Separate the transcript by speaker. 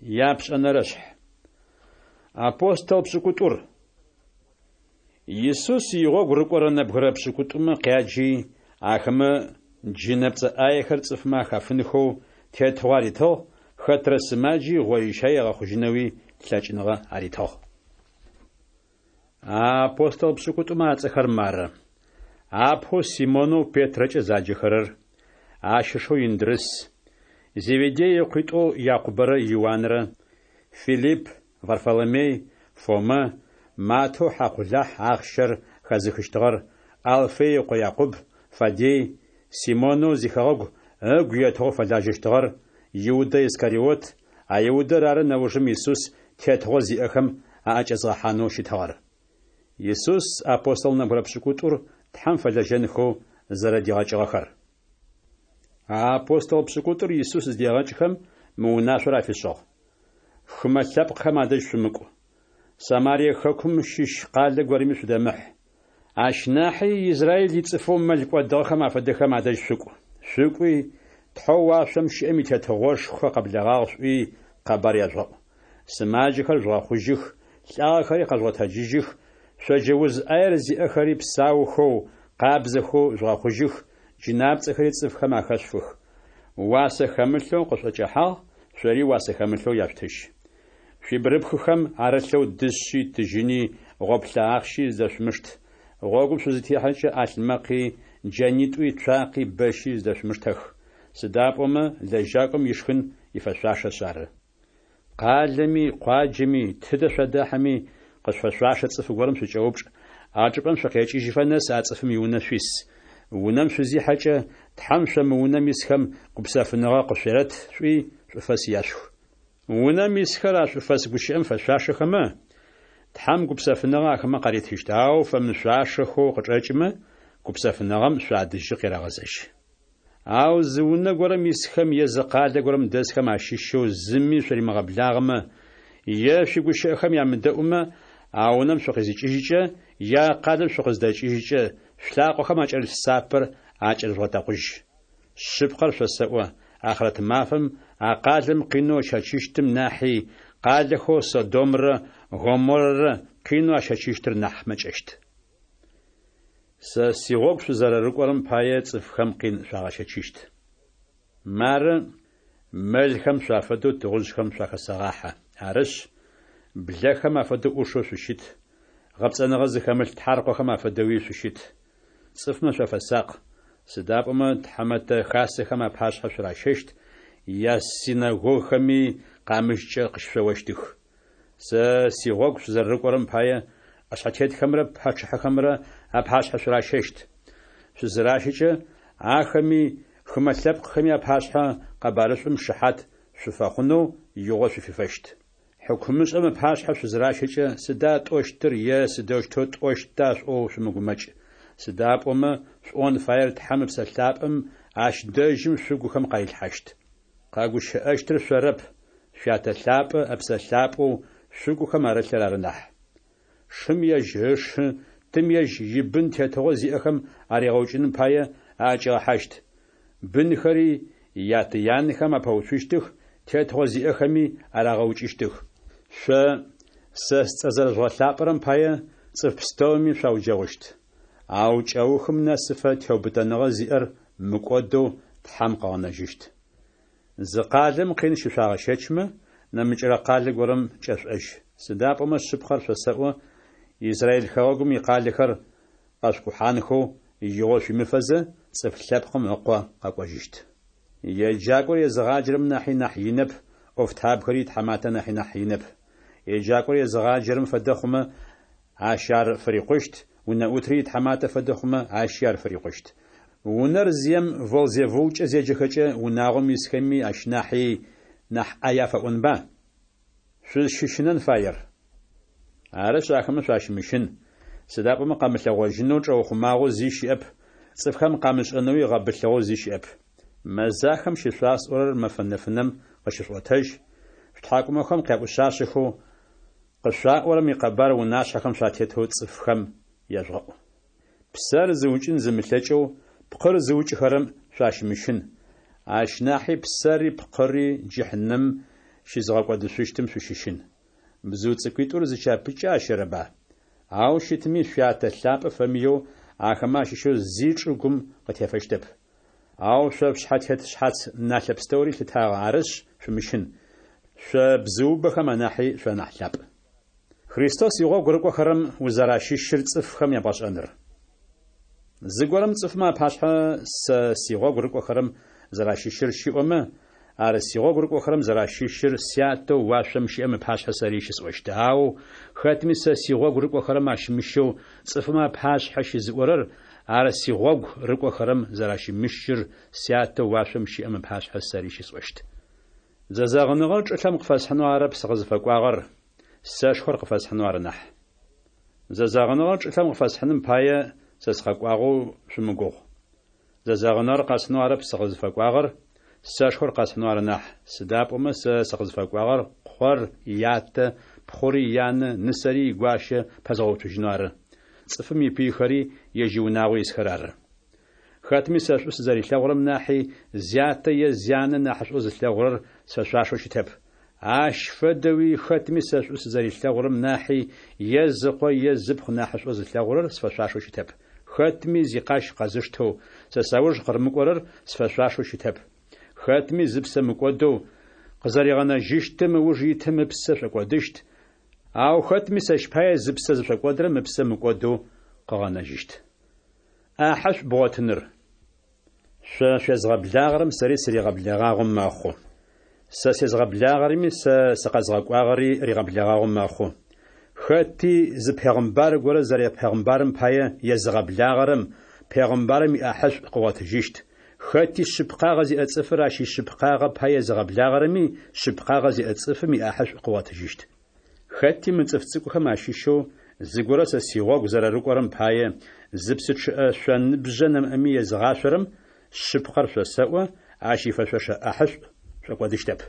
Speaker 1: Япшӏэнэрэшъхь. Апостол пшӏыкӏутӏур. Исус игъогу рыкӏорэ нэбгырэ пшӏыкӏутӏумэ къяджи, ахэмэ джынэпцӏэ ӏаехэр цӏыфмэ ахафынхэу тетыгъо аритыгъ, хэтрэ сымаджи гъоищай ыгъэхъужьынэуи лъэкӏыныгъэ аритыгъ. А апостол пшӏыкӏутӏумэ ацӏэхэр мары: апэу Симонэу Петрэкӏэ заджэхэрэр, ащ ышэу Индрыс, Зеведей ыкъуитӏоу Якъубэрэ Иуанрэ, Филипп, Варфоломей, Фомэ, Маттэу хьакъулахь ахъщэр хэзыхыщтыгъэр, Алфей ыкъо Якъуб, Фаддей, Симонэу зихэгъэгу ыгу етыгъэу фэлажьэщтыгъэр, Иудэ Искариот, а Иудэр ары нэужым Исус тетыгъо зиӏэхэм аӏэкӏэзгъэхьанэу щытыгъэр. Исус апостол нэбгырэ пшӏыкӏутӏур Тхьэм фэлэжьэнхэу зэрэдигъэкӏыгъэхэр. А апостол пшӏыкӏутӏур Исус зыдегъэкӏхэм, мы унашъор афишӏыгъ: Хымэ лъэпкъхэм адэжь шъумыкӏу. Самарие хэкум щыщ къалэ горэми шъудэмыхь. Ащ нахьи Израиль ицӏыфэу мэл кӏодыгъэхэм афэдэхэм адэжь шъукӏу. Шъукӏуи, Тхьэу уашъом щыӏэм и Тетыгъошхо къэблэгъагъ шъуӏуи къэбар яжъугъэӏу. Сымаджэхэр жъугъэхъужьых, лӏагъэхэри къэжъугъэтэджыжьых, шъоджэ уз ӏаер зиӏэхэри псаухэу, къабзэхэу жъугъэхъужьых, джынапцӏэхэри цӏыфхэм ахэшъуфых. Уасэ хэмылъэу къышъуӏэкӏэхьагъ, шъори уасэ хэмылъэу яшъутыжь. Шъуибгырыпхыхэм арылъэу дышъи, тыжьыни, гъоплъэ ахъщи зыдэшъумышт. Гъогум шъузытехьэкӏэ ӏалъмэкъи, джэнитӏуи, цуакъи, бэщи зыдэшъумыштэх. Сыда пӏомэ лэжьакӏом ишхын ифэшъуашэшъ ары. Къалэми, къуаджэми, тыдэ шъуадахьэми, къышъуфэшъуашэ цӏыф горэм шъукӏэупчӏ, а чӏыпӏэм шъукъекӏыжьыфэ нэс а цӏыфым иунэ шъуис. Унэм шъузихьэкӏэ, Тхьэм шъо мы унэм исхэм гупсэфыныгъэ къышъуерэт шъуӏуи, шӏуфэс яшъух. Унэм исхэр а шӏуфэс гущыӏэм фэшъуашэхэмэ, Тхьэм гупсэфыныгъэ ахэмэ къаритыщт, ау фэмышъуашэхэу къычӏэкӏымэ, гупсэфыныгъэм шъуадэжьы къерэгъэзэжь. Ау зы унэ горэм исхэм е зы къалэ горэм дэсхэм ащыщэу зыми шъуримыгъэблагъэмэ, е шъуигущыӏэхэм ямыдэӏумэ, а унэм шъукъызикӏыжькӏэ е а къалэм шъукъыздэкӏыжькӏэ, шъулъакъохэм акӏэрылъ сапэр акӏэрыжъугъэтэкъужь. Шъыпкъэр шъосэӏо, ахърэт мафэм а къалэм къинэу ыщэчыщтым нахьи, къалэхэу Содомрэ Гоморрэ къинэу ащэчыщтыр нахь мэкӏэщт. Сэ сигъогу шъузэрэрыкӏорэм пае цӏыфхэм къин шъуагъэщэчыщт. Мары, мэлхэм шъуафэдэу тыгъужъхэм шъуахэсэгъахьэ. Арышъ, блэхэм афэдэу ӏушэу шъущыт, гъэпцӏэныгъэ зыхэмылъ тхьаркъохэм афэдэуи шъущыт. Цӏыфмэ шъуафэсакъ, сыда пӏомэ тхьэмэтэ хасэхэм апашъхьэ шъуращэщт, ясинэгогхэми къамыщкӏэ къыщышъоощтых. Сэ сигъогу шъузэрэрыкӏорэм пае ӏэшъхьэтетхэмрэ пачъыхьэхэмрэ апашъхьэ шъуращэщт. Шъузыращэкӏэ, ахэми, хымэ лъэпкъхэми апашъхьэ къэбарышӏум шыхьат шъуфэхъунэу игъо шъуфифэщт. Хьыкумышӏэм ыпашъхьэ шъузыращэкӏэ, сыда тӏощтыр е сыдэущтэу тӏощта шъуӏоу шъумыгумэкӏ. Сыда пӏомэ шъуӏон фаер Тхьэм Ыпсэ Лъапӏэм ащ дэжьым шъугухэм къарилъхьащт. Къэгущыӏэщтыр шъорэп, Шъуятэ лъапӏэ Ыпсэ Лъапӏэу шъугухэм арылъыр ары нахь. Шым ежь ышы, тым ежь ибын тетыгъо зиӏэхэм аригъэукӏыным пае аӏэкӏигъэхьащт. Бынхэри ятэ-янэхэм апэуцущтых, тетыгъо зиӏэхэми арагъэукӏыщтых. Шъо сэ сцӏэ зэрэжъугъэлъапӏэрэм пае цӏыф пстэуми шъуауджэгъущт. Ау кӏэухым нэсыфэ теубытэныгъэ зиӏэр мыкӏодэу Тхьэм къыгъэнэжьыщт. Зы къалэм къин щышъуагъэщэчмэ, нэмыкӏырэ къалэ горэм кӏэшъуӏэжь. Сыда пӏомэ шъыпкъэр шъосэӏо, Израиль хэгъэгум икъалэхэр къэшъукӏухьанхэу игъо шъуимыфэзэ, Цӏыф Лъэпкъым Ыкъо къэкӏожьыщт. Еджакӏор езыгъаджэрэм нахьи нахь инэп, ӏофтабгэри итхьаматэ нахьи нахь инэп. Еджакӏор езыгъаджэрэм фэдэ хъумэ, ащ ар фырикъущт, унэӏутри итхьаматэ фэдэ хъумэ, ащи ар фырикъущт. Унэр зием Волзевулкӏэ зеджэхэкӏэ, унагъом исхэми ащ нахьи нахь ӏай афэӏонба? Шъузщыщынэн фаер. Арышъ, ахэмэ шъуащымыщын, сыда пӏомэ къэмылъэгъожьынэу чӏэухъумагъэу зи щыӏэп, цӏыфхэм къамышӏэнэуи гъэбылъыгъэу зи щыӏэп. Мэзахэм щышъуасӏорэр мэфэ нэфынэм къыщышъуӏотэжь, шъутхьакӏумэхэм къяӏушъашъэхэу, къышъуаӏорэм икъэбар унашъхьэхэм шъуатетэу цӏыфхэм яжъугъэӏу. Псэр зыукӏын зымылъэкӏэу, пкъыр зыукӏыхэрэм шъуащымыщын. Ащ нахьи псэри пкъыри джыхьнэмым щызыгъэкӏодышъущтым шъущыщын. Бзыу цӏыкӏуитӏур зы чапычкӏэ ащэрэба? Ау щытми, шъуятэ лъапӏэ фэмыеу, ахэмэ ащыщэу зи чӏыгум къытефэщтэп. Ау шъо шъушъхьэ тет шъхьац налъэ пстэури лъытагъэ, арышъ, шъумыщын. Шъо бзыубэхэм анахьи шъуанахь лъапӏ. Христос игъогу рыкӏохэрэм узэращыщыр цӏыфхэм ябгъэшӏэныр. Зыгорэм цӏыфмэ апашъхьэ сэ сигъогу рыкӏохэрэм зэращыщыр щиӏомэ, ар сигъогу рыкӏохэрэм зэращыщыр Сятэу уашъом щыӏэм ыпашъхьэ сэри щысӏощт. Ау хэтми сэ сигъогу рыкӏохэрэм ащымыщэу цӏыфмэ апашъхьэ щызыӏорэр, ар сигъогу рыкӏохэрэм зэращымыщыр Сятэу уашъом щыӏэм ыпашъхьэ сэри щысӏощт. Зэзэгъыныгъэр чӏылъэм къыфэсхьынэу арэп сыкъызыфэкӏуагъэр, сэшхор къыфэсхьынэу ары нахь. Зэзэгъыныгъэр чӏылъэм къыфэсхьыным пае сэ сыкъэкӏуагъэу шъумыгугъу. Зэзэгъыныгъэр къэсхьынэу арэп сыкъызыфэкӏуагъэр, сэшхор къэсхьынэу ары нахь, сыда пӏомэ сэ сыкъызыфэкӏуагъэр къор ятэ, пхъури янэ, нысэри игуащэ пэзгъэуцужьынэу ары. Цӏыфым ипыйхэри ежь иунагъо исхэр ары. Хэтми сэ шӏу сызэрилъэгъурэм нахьи, зятэ е зянэ нахьышӏоу зылъэгъурэр сфэшъуашэу щытэп. Ащ фэдэуи хэтми сэ шӏу сызэрилъэгъурэм нахьи, е зыкъо е зыпхъу нахьышӏоу зылъэгъурэр сфэшъуашэу щытэп. Хэтми зикъащ къэзыштэу, сэ сауж къырымыкӏорэр сфэшъуашэу щытэп. Хэтми зыпсэ мыкӏодэу, къызэригъэнэжьыщтым ыуж итым ыпсэ шӏокӏодыщт, ау хэтми сэщ пае зыпсэ зышӏокӏодырэм ыпсэ мыкӏодэу къыгъэнэжьыщт. ӏахьэшӏу бгъотыныр. Шъо шъуезгъэблагъэрэм сэри сыригъэблэгъагъэу мэхъу. Сэ сезгъэблагъэрэми сэ сыкъэзгъэкӏуагъэри ригъэблэгъагъэу мэхъу. Хэти зы пегъымбар горэ зэрэпегъымбарым пае езыгъэблагъэрэм пегъымбарым иӏахьышӏу къыгъотыжьыщт, хэти шъыпкъагъэ зиӏэ цӏыфыр ащ ишъыпкъагъэ пае езыгъэблагъэрэми шъыпкъагъэ зиӏэ цӏыфым иӏахьышӏу къыгъотыжьыщт. Хэти мы цӏыф цӏыкӏухэм ащыщэу зыгорэ сэ сигъогу зэрэрыкӏорэм пае зы псы чъыӏэ шъоныбжьэ нэмыӏэми езыгъашъорэм, шъыпкъэр шъосэӏо, ащ ифэшъошэ ӏахьышӏу шӏокӏодыщтэп.